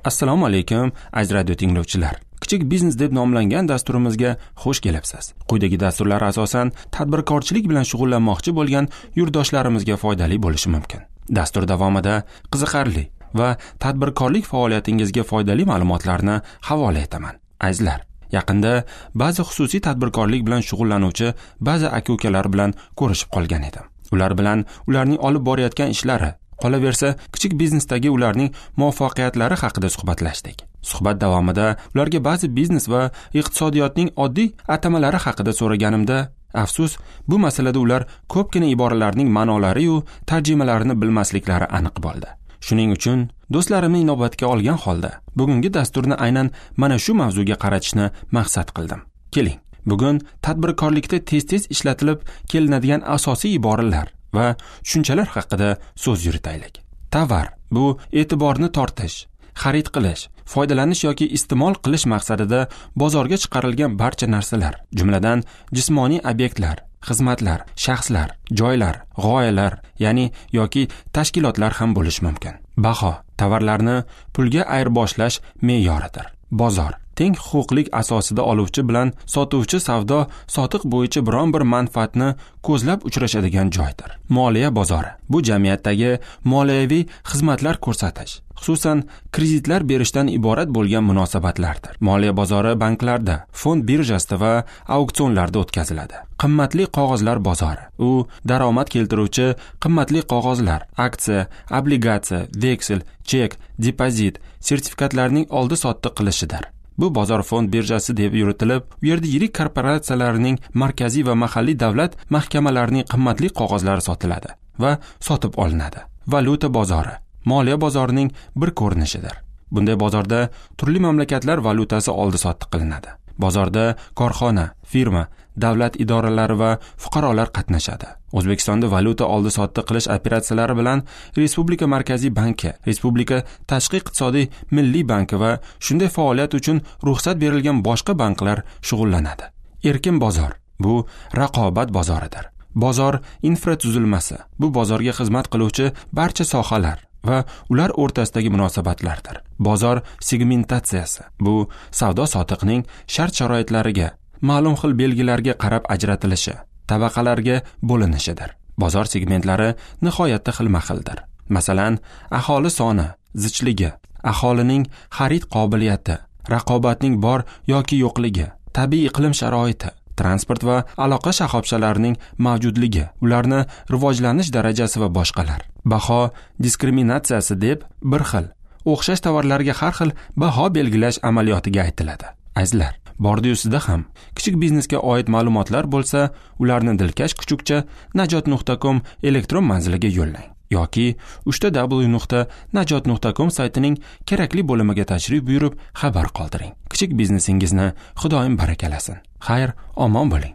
Assalomu alaykum, aziz radio tinglovchilar. Kichik biznes deb nomlangan dasturimizga xush kelibsiz. Quyidagi dasturlar asosan tadbirkorchilik bilan shug'ullanmoqchi bo'lgan yurtdoshlarimizga foydali bo'lishi mumkin. Dastur davomida qiziqarli va tadbirkorlik faoliyatingizga foydali ma'lumotlarni havola etaman. Azizlar, yaqinda ba'zi xususiy tadbirkorlik bilan shug'ullanuvchi ba'zi aka-ukalar bilan ko'rishib qolgan edim. Ular bilan ularning olib borayotgan ishlari, qolaversa kichik biznesdagi ularning muvaffaqiyatlari haqida suhbatlashdik. Suhbat davomida ularga ba'zi biznes va iqtisodiyotning oddiy atamalari haqida so'raganimda, afsus, bu masalada ular ko'pgina iboralarning ma'nolari-yu tarjimalarini bilmasliklari aniq bo'ldi. Shuning uchun do'stlarimni inobatga olgan holda bugungi dasturni aynan mana shu mavzuga qaratishni maqsad qildim. Keling, bugun tadbirkorlikda tez-tez ishlatilib kelinadigan asosiy iboralar va tushunchalar haqida so'z yuritaylik. Tovar bu e'tiborni tortish, xarid qilish, foydalanish yoki iste'mol qilish maqsadida bozorga chiqarilgan barcha narsalar, jumladan jismoniy obyektlar, xizmatlar, shaxslar, joylar, g'oyalar, ya'ni yoki tashkilotlar ham bo'lishi mumkin. Baho tovarlarni pulga ayirboshlash me'yoridir. Bozor teng huquqlik asosida oluvchi bilan sotuvchi savdo sotiq bo'yicha biron bir manfaatni ko'zlab uchrashadigan joydir. Moliya bozori bu jamiyatdagi moliyaviy xizmatlar ko'rsatish, xususan kreditlar berishdan iborat bo'lgan munosabatlardir. Moliya bozori banklarda, fond birjasida va auksionlarda o'tkaziladi. Qimmatli qog'ozlar bozori u daromad keltiruvchi qimmatli qog'ozlar, aksiya, obligatsiya, veksel, chek, depozit, sertifikatlarning oldi-sotdi qilishidir. Bu bozor fond birjasi deb yuritilib, u yerda yirik korporatsiyalarning markaziy va mahalliy davlat mahkamalarining qimmatli qog'ozlari sotiladi va sotib olinadi. Valyuta bozori moliya bozorining bir ko'rinishidir. Bunday bozorda turli mamlakatlar valyutasi oldi-sotdi qilinadi. Bozorda korxona, firma, davlat idoralari va fuqarolar qatnashadi. O'zbekistonda valyuta oldi-sotdi qilish operatsiyalari bilan Respublika Markaziy banki, Respublika Tashqi iqtisodiy milliy banki va shunday faoliyat uchun ruxsat berilgan boshqa banklar shug'ullanadi. Erkin bozor bu raqobat bozoridir. Bozor infratuzilmasi bu bozorga xizmat qiluvchi barcha sohalar va ular o'rtasidagi munosabatlardir. Bozor segmentatsiyasi bu savdo-sotiqning shart-sharoitlariga, ma'lum xil belgilarga qarab ajratilishi, tabaqalarga bo'linishidir. Bozor segmentlari nihoyatda xilma-xildir. Masalan, aholi soni, zichligi, aholining xarid qobiliyati, raqobatning bor yoki yo'qligi, tabiiy iqlim sharoiti, transport va aloqa shoxobchalarining mavjudligi, ularni rivojlanish darajasi va boshqalar. Baho diskriminatsiyasi deb bir xil, o'xshash tovarlarga har xil baho belgilash amaliyotiga aytiladi. Azizlar, bordi-yu sizda ham kichik biznesga oid ma'lumotlar bo'lsa, ularni dilkash kuchukcha najot.com elektron manziliga yo'llang yoki www.najot.com saytining kerakli bo'limiga tashrif buyurib xabar qoldiring. Kichik biznesingizni Xudoyim barakalasin. Xayr, omon bo'ling.